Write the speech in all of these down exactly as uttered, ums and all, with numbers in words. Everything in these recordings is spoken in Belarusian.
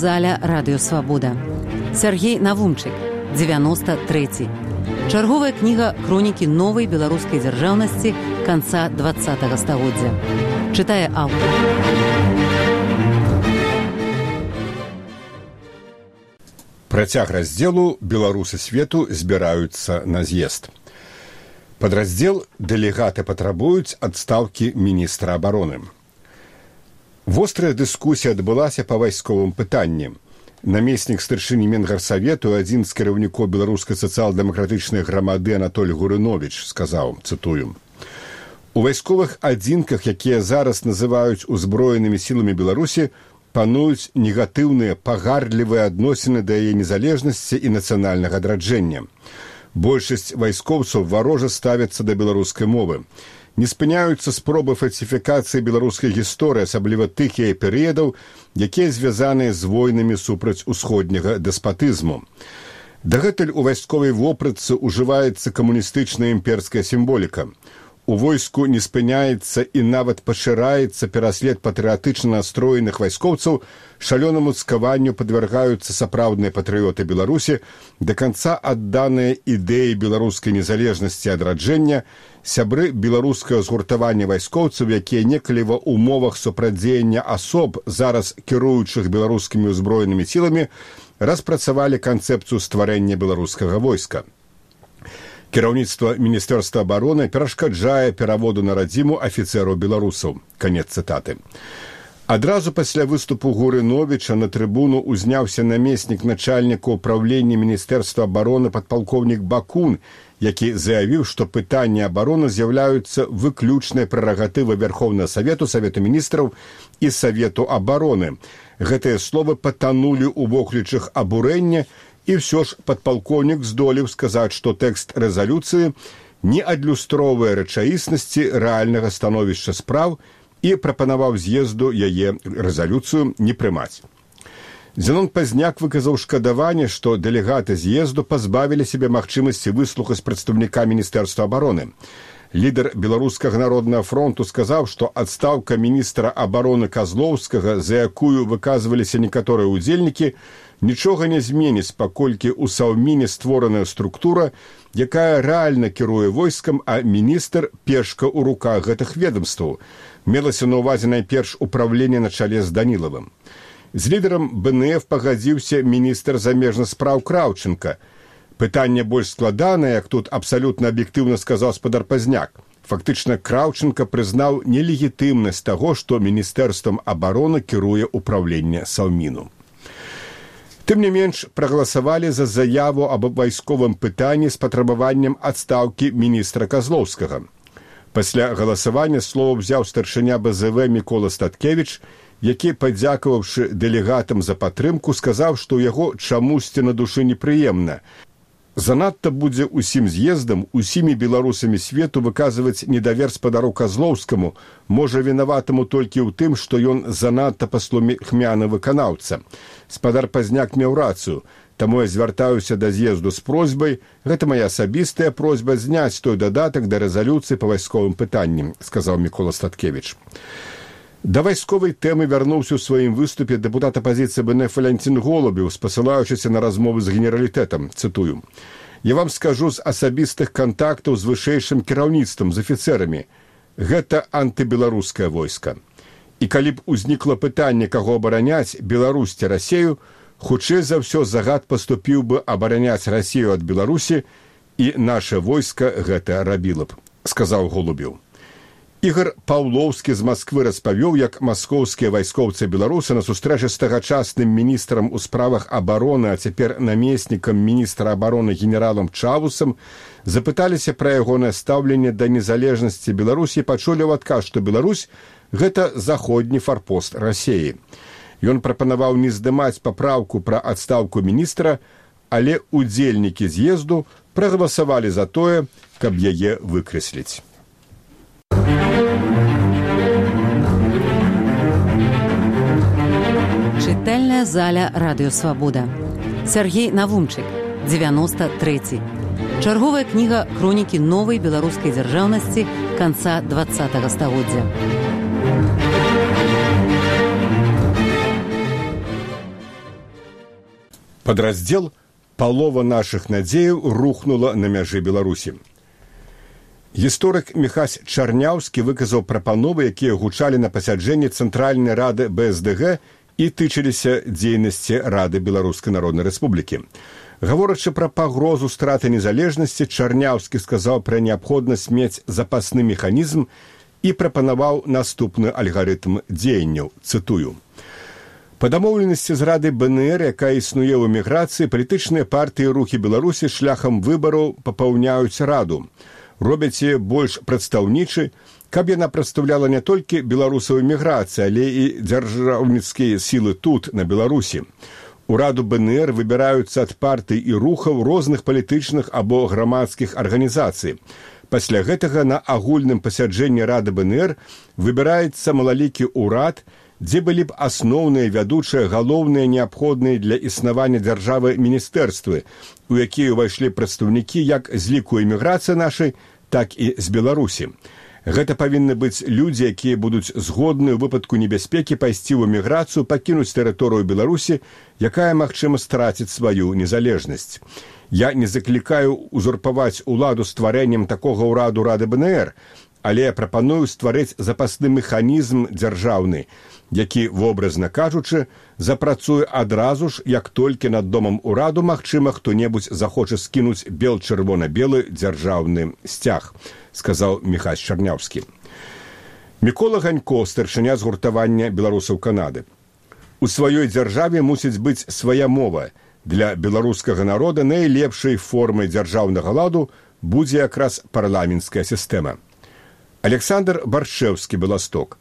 заля радыё Свабода. Сяргей Навумчык, дзевяносто трэці. Чарговая кніга хронікі новай беларускай дзяржаўнасці канца двадцатага стагоддзя. Чытае аўтар. Працяг раздзелу «Беларусы свету збіраюцца на з'езд». Падраздзел «Дэлегаты патрабуюць адстаўкі міністра абароны». Вострая дыскусія адбылася па вайсковым пытанні. Намеснік старшыні Менгарсавету, адзін з кіраўнікоў беларускай сацыял-дэмакратычнай грамады Анатоль Гурыновіч сказаў, цытую: «У вайсковых адзінках, якія зараз называюць узброенымі сіламі Беларусі, пануюць негатыўныя, пагардлівыя адносіны да яе незалежнасці і нацыянальнага адраджэння. Большасць вайскоўцаў варожа ставяцца да беларускай мовы. Не спыняюцца спробы фальсіфікацыі беларускай гісторыі, асабліва тых яе перыядаў, якія звязаныя з войнамі супраць усходняга дэспатызму. Дагэтуль у вайсковай вопратцы ўжываецца камуністычная імперская сімволіка. У войску не спыняецца і нават пашыраецца пераслед патрыятычна настроеных вайскоўцаў, шалёнаму цкаванню падвяргаюцца сапраўдныя патрыёты Беларусі, да канца адданыя ідэі беларускай незалежнасці і адраджэння, сябры беларускага згуртавання вайскоўцаў, якія некалі ва ўмовах супрацьдзеяння асоб, зараз кіруючых беларускімі ўзброенымі сіламі, распрацавалі канцэпцыю стварэння беларускага войска. Кіраўніцтва Міністэрства абароны перашкаджае пераводу на радзіму афіцэраў беларусаў». Канец цытаты. Адразу пасля выступу Гурыновіча на трыбуну узняўся намеснік начальніка ўпраўлення Міністэрства абароны падпалкоўнік Бакун, які заявіў, што пытанні абароны з'яўляюцца выключнай прэрагатывай Верховнага Савету, Савету міністраў і Савету абароны. Гэтыя словы патанулі ў воклічах абурэння, і ўсё ж падпалкоўнік здолеў сказаць, што тэкст рэзалюцыі не адлюстроўвае рэчаіснасці рэальнага становішча спраў і прапанаваў з'езду яе рэзалюцыю не прымаць. Зенон Пазняк выказаў шкадаванне, што дэлегаты з'езду пазбавілі сябе магчымасці выслухаць прадстаўніка Міністэрства абароны. Лідар Беларускага народнага фронту сказаў, што адстаўка міністра абароны Казлоўскага, за якую выказваліся некаторыя ўдзельнікі, нічога не зменіць, паколькі ў Саўміне створаная структура, якая рэальна кіруе войскам, а міністр пешка ў руках гэтых ведомстваў. Мелася на ўвазе найперш управленне на чале з Данілавым. З лідарам бэ эн эф пагадзіўся міністр замежных спраў Краўченка. Пытанне больш складанае, як тут абсалютна аб'ектыўна сказаў спадар Пазняк. Фактычна, Краўченка прызнаў нелегітымнасць таго, што Міністэрствам абароны кіруе ўпраўленне Саўміну. Тым не менш, прагаласавалі за заяву аб вайсковым пытанні з патрабаваннем адстаўкі міністра Казлоўскага. Пасля галасавання слова ўзяў старшыня бэ зэ вэ Мікола Статкевіч, які, падзякаваўшы дэлегатам за падтрымку, сказаў, што ў яго чамусьці на душы непрыемна. Занадта будзе ўсім з'ездам, усімі беларусамі свету выказваць недавер спадару Казлоўскаму, можа вінаватаму толькі ў тым, што ён занадта паслухмяны выканаўца. Спадар Пазняк меў рацыю, таму я звяртаюся да з'езду з просьбай, гэта мая асабістая просьба зняць той дадатак да рэзалюцыі па вайсковым пытанням, сказаў Мікола Статкевіч. Да вайсковай тэмы вярнуўся ў сваім выступе дэпутат апазіцыі бэ эн эф Валянцін Голубеў, спасылаючыся на размовы з генералітэтам, цытую: «Я вам скажу з асабістых кантактаў з вышэйшым кіраўніцтвам, з афіцэрамі. Гэта антыбеларускае войска. І калі б узнікла пытанне, каго абараняць, Беларусь ці Расею, хутчэй за ўсё загад паступіў бы абараняць Расею ад Беларусі, і наша войска гэта рабіла б», сказаў Голубеў. Ігар Паўлоўскі з Масквы распавёў, як маскоўскія вайскоўцы беларусы на сустрэчы з тагачасным міністрам у справах абароны, а цяпер намеснікам міністра абароны генералам Чавусам, запыталіся пра ягонае стаўленне да незалежнасці Беларусі і пачулі ў адказ, што Беларусь – гэта заходні фарпост Расеі. Ён прапанаваў не здымаць папраўку пра адстаўку міністра, але удзельнікі з'езду прагаласавалі за тое, каб яе выкрэсліць. Чытальная заля радыё Свабода. Сяргей Навумчык, дзевяносто трэці. Чарговая кніга хронікі новай беларускай дзяржаўнасці канца двадцатага стагоддзя. Падраздзел «Палова нашых надзеяў» рухнула на мяжы Беларусі. Гісторык Міхась Чарняўскі выказаў прапановы, якія гучалі на пасяджэнні Цэнтральнай рады бэ эс дэ гэ і тычыліся дзейнасці Рады Беларускай Народнай Рэспублікі. Гаворачы пра пагрозу страты незалежнасці, Чарняўскі сказаў пра неабходнасць мець запасны механізм і прапанаваў наступны алгарытм дзеянняў, цытую. Па дамоўленасці з Рады бэ эн эр, якая існуе ў эміграцыі, палітычныя партыі рухі Беларусі шляхам выбараў папаўняюць раду. Робяць яе больш прадстаўнічы, каб яна прадстаўляла не толькі беларусаў эміграцыі, але і дзяржаўніцкія сілы тут, на Беларусі. У Раду бэ эн эр выбіраюцца ад партый і рухаў розных палітычных або грамадскіх арганізацый. Пасля гэтага на агульным пасяджэнні Рады бэ эн эр выбіраецца малалікі ўрад, дзе былі б асноўныя, вядучыя, галоўныя, неабходныя для існавання дзяржавы міністэрствы, у якія ўвайшлі прадстаўнікі як з ліку эміграцыі нашай, так і з Беларусі. Гэта павінны быць людзі, якія будуць згодны ў выпадку небяспекі пайсці ў эміграцыю, пакінуць тэрыторыю Беларусі, якая, магчыма, страціць сваю незалежнасць. Я не заклікаю узурпаваць уладу стварэннем такога ўраду Рады бэ эн эр, але я прапаную стварыць запасны механізм дзяржаўны, які, вобразна кажучы, запрацуе адразу ж, як толькі над домам ураду, магчыма, хто-небудзь захоча скінуць бел-чырвона-белы дзяржаўны сцяг, сказаў Міхась Чарняўскі. Мікола Ганько, старшыня згуртавання беларусаў Канады. У сваёй дзяржаве мусіць быць свая мова. Для беларускага народа найлепшай формай дзяржаўнага ладу будзе якраз парламенцкая сістэма. Александр Баршэўскі, Беласток.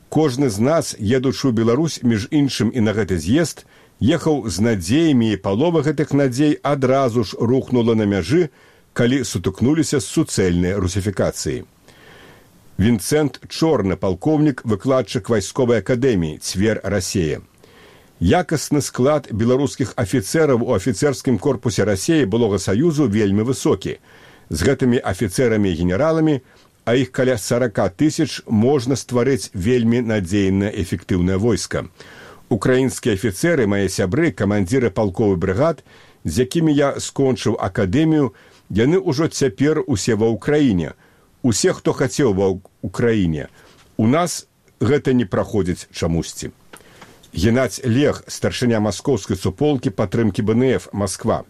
Кожны з нас, едучы ў Беларусь, між іншым і на гэты з'езд, ехаў з надзеямі, і палова гэтых надзей адразу ж рухнула на мяжы, калі сутыкнуліся з суцэльнай русіфікацыяй. Вінцэнт Чорны, палкоўнік, выкладчык вайсковай акадэміі, Цвер, Расея. Якасны склад беларускіх афіцэраў у афіцэрскім корпусе Расеі былога Саюзу вельмі высокі. З гэтымі афіцэрамі і генераламі, а іх каля сорока тысяч, можна стварыць вельмі надзейнае эфектыўнае войска. Украінскія афіцэры, мае сябры, камандзіры палковых брыгад, з якімі я скончыў акадэмію, яны ўжо цяпер усе ва ўкраіне. Усе, хто хацеў ва ўкраіне. У нас гэта не праходзіць чамусьці. Геннадзь Лег, старшыня маскоўскай суполкі падтрымкі бэ эн эф, Масква.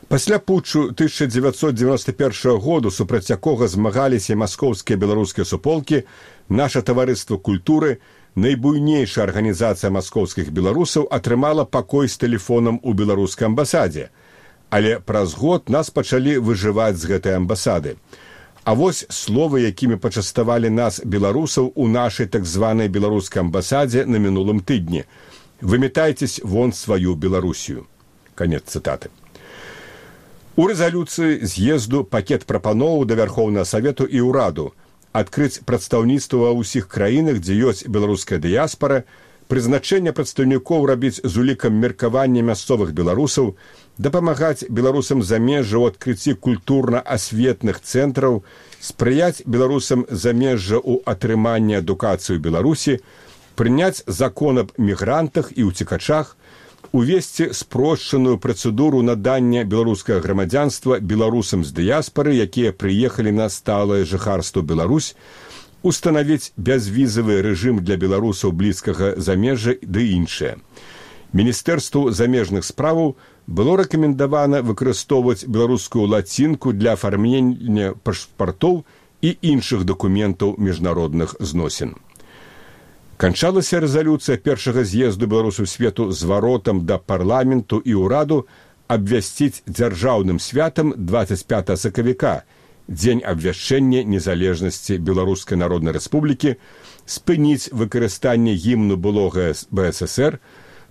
Пасля путчу тысяча дзевяцьсот дзевяносто першага году, супраць якога змагаліся маскоўскія беларускія суполкі, наша таварыства культуры, найбуйнейшая арганізацыя маскоўскіх беларусаў, атрымала пакой з тэлефонам у беларускай амбасадзе. Але праз год нас пачалі выжываць з гэтай амбасады. А вось словы, якімі пачаставалі нас, беларусаў, у нашай так званай беларускай амбасадзе на мінулым тыдні. Выметайцесь вон сваю Беларусію. Канец цытаты. У рэзалюцыі з'езду пакет прапановаў да Вярхоўнага Савету і ўраду адкрыць прадстаўніцтва ва ўсіх краінах, дзе ёсць беларуская дыяспара, прызначэнне прадстаўнікоў рабіць з улікам меркавання мясцовых беларусаў, дапамагаць беларусам замежжа ў адкрыцці культурна-асветных цэнтраў, спрыяць беларусам замежжа ў атрыманні адукацыі ў Беларусі, прыняць закон аб мігрантах і ўцекачах, увесці спрошчаную працэдуру надання беларускага грамадзянства беларусам з дыяспары, якія прыехалі на сталае жыхарства Беларусь, устанавіць бязвізавы рэжым для беларусаў блізкага замежжа ды іншае. Міністэрству замежных справаў было рэкамендавана выкарыстоўваць беларускую лацінку для афармлення пашпартоў і іншых дакументаў міжнародных зносін. Канчалася рэзалюцыя першага з'езду беларусаў свету зваротам да парламенту і ўраду абвясціць дзяржаўным святам дваццаць пятага сакавіка, дзень абвяшчэння незалежнасці Беларускай Народнай Рэспублікі, спыніць выкарыстанне гімну былога бэ эс эс эр,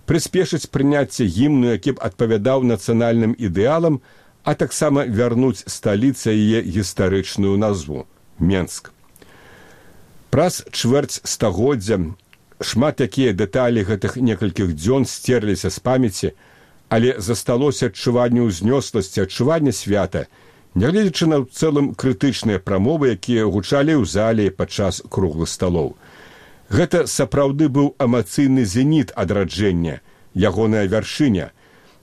прыспешыць прыняцце гімну, які б адпавядаў нацыянальным ідэалам, а таксама вярнуць сталіцы яе гістарычную назву – Менск. Праз чвэрць стагоддзя шмат якія дэталі гэтых некалькіх дзён стерліся з памяці, але засталося адчуванне ўзнёсласці, адчуванне свята, нягледзячы на цэлым крытычныя прамовы, якія гучалі ў зале падчас круглых сталоў. Гэта сапраўды быў эмацыйны зеніт адраджэння, ягоная вяршыня.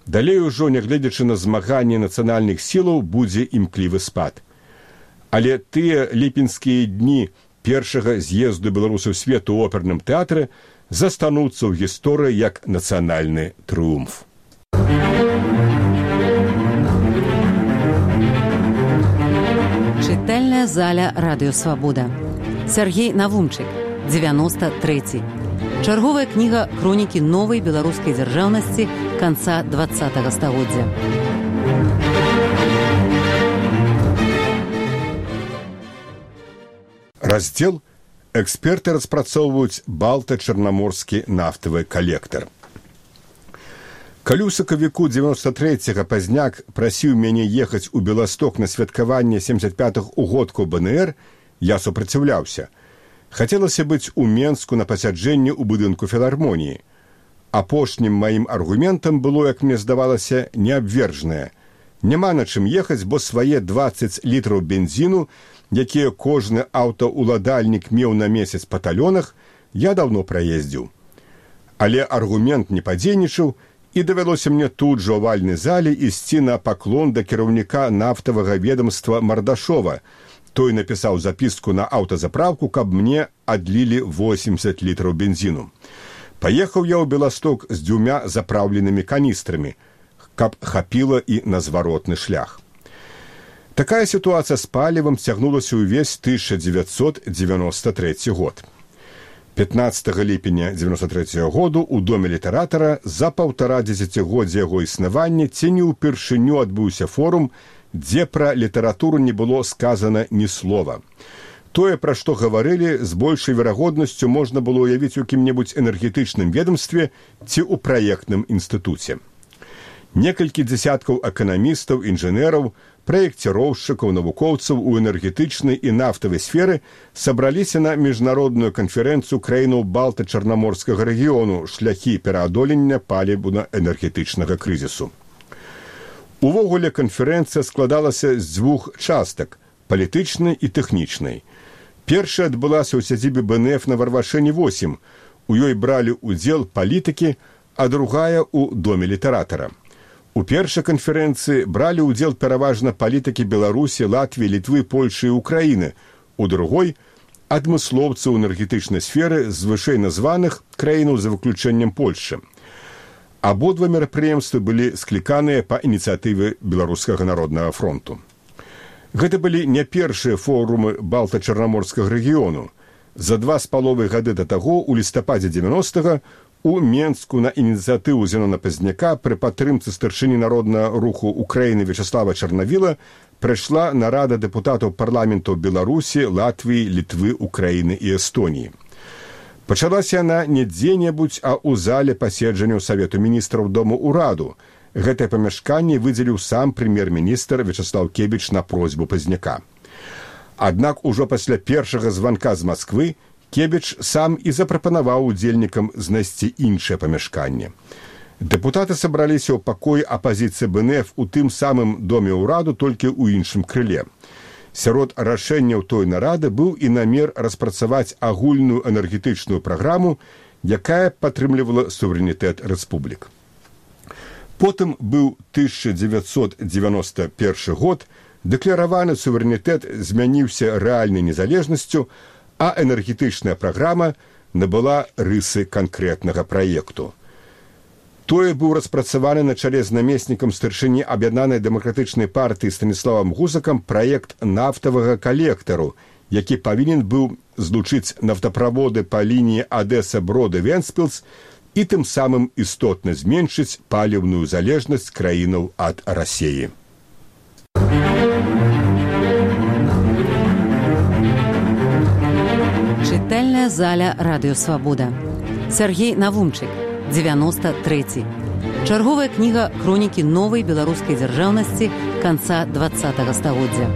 далей ужо, нягледзячы на змаганне нацыянальных сілаў, будзе імклівы спад. Але тыя ліпенскія дні першага з'езду беларусаў свету ў оперным тэатры застануцца ў гісторыі як нацыянальны трыумф. Чытальная заля Радыё Свабода. Сергей Навумчык, дзевяносто трэці. Чарговая кніга хронікі новай беларускай дзяржаўнасці канца двадцатага стагоддзя. Раздзел «Эксперты распрацоўваюць балта-чарнаморскі нафтавы калектар». Калі ў сакавіку дзевяносто трэцяга пазняк прасіў мяне ехаць у Беласток на святкаванне семдзесят пятых угодкаў бэ эн эр, я супраціўляўся. Хацелася быць у Менску на пасяджэнні ў будынку філармоніі. Апошнім маім аргументам было, як мне здавалася, неабвержнае. Няма на чым ехаць, бо свае дваццаць літраў бензіну, якія кожны аўтаўладальнік меў на месяц па талёнах, я даўно праездзіў. Але аргумент не падзейнічаў, і давялося мне тут жа ў вальнай зале ісці на паклон да кіраўніка нафтавага ведамства Мардашова. Той напісаў запіску на аўтазапраўку, каб мне адлілі восемьдесят літраў бензіну. Паехаў я ў Беласток з дзвюмя запраўленымі каністрамі, каб хапіла і на зваротны шлях. Такая сітуацыя з палівам цягнулася ўвесь тысяча дзевяцьсот дзевяносто трэці год. пятнаццатага ліпеня дзевяносто трэцяга году ў доме літаратара за паўтара дзесяцігоддзя яго існавання ці не ўпершыню адбыўся форум, дзе пра літаратуру не было сказана ні слова. Тое, пра што гаварылі, з большай верагоднасцю можна было уявіць у кім-небудзь энергетычным ведомстве ці ў праектным інстытуце. Некалькі дзесяткаў эканамістаў, інжынераў, праекціроўшчыкаў, навукоўцаў у энергетычнай і нафтавай сферы сабраліся на міжнародную канферэнцыю краінаў балта-чарнаморскага рэгіёну «Шляхі пераадолення паліўна-энергетычнага крызісу». Увогуле канферэнцыя складалася з дзвюх частак – палітычнай і тэхнічнай. Першая адбылася ў сядзібе бэ эн эф на Варвашэне восем. У ёй бралі ўдзел палітыкі, а другая – у доме літаратара. У першай канферэнцыі бралі ўдзел пераважна палітыкі Беларусі, Латвіі, Літвы, Польшы і Украіны. У другой – адмыслоўцы ў энергетычнай сферы з вышэй названых краінаў за выключэннем Польшы. Абодва мерапрыемствы былі скліканыя па ініцыятыве Беларускага народнага фронту. Гэта былі не першыя форумы балта-чарнаморскага рэгіёну. За два з паловай гады да таго, у лістападзе дзевяностага, у Менску на ініцыятыву Зенона Пазняка пры падтрымцы старшыні народнага руху Украіны Вячаслава Чарнавіла прайшла нарада дэпутатаў парламентаў Беларусі, Латвіі, Літвы, Украіны і Эстоніі. Пачалася яна не дзе-небудзь, а ў зале паседжанняў Савету міністраў Дому ўраду. Гэтае памяшканне выдзеліў сам прэм'ер-міністр Вячаслав Кебіч на просьбу Пазняка. Аднак ужо пасля першага званка з Масквы Кебіч сам і запрапанаваў удзельнікам знайсці іншае памяшканне. Дэпутаты сабраліся ў пакоі апазіцыі бэ эн эф у тым самым доме ўраду, толькі ў іншым крыле. Сярод рашэнняў той нарады быў і намер распрацаваць агульную энергетычную праграму, якая падтрымлівала суверэнітэт рэспублік. Потым быў тысяча дзевяцьсот дзевяносто першы год, дэклараваны суверэнітэт змяніўся рэальнай незалежнасцю, а энергетычная праграма набыла рысы канкрэтнага праекту. Тое быў распрацаваны на чале з намеснікам старшыні аб'яднанай дэмакратычнай партыі Станіславам Гузакам праект нафтавага калектару, які павінен быў злучыць нафтаправоды па лініі Адэса-Броды-Венспілс і тым самым істотна зменшыць паліўную залежнасць краінаў ад Расіі. Чытальная заля Радыё Свабода. Сергей Навумчык, дзевяносто трэці. Чарговая кніга хронікі новай беларускай дзяржаўнасці канца двадцатага стагоддзя.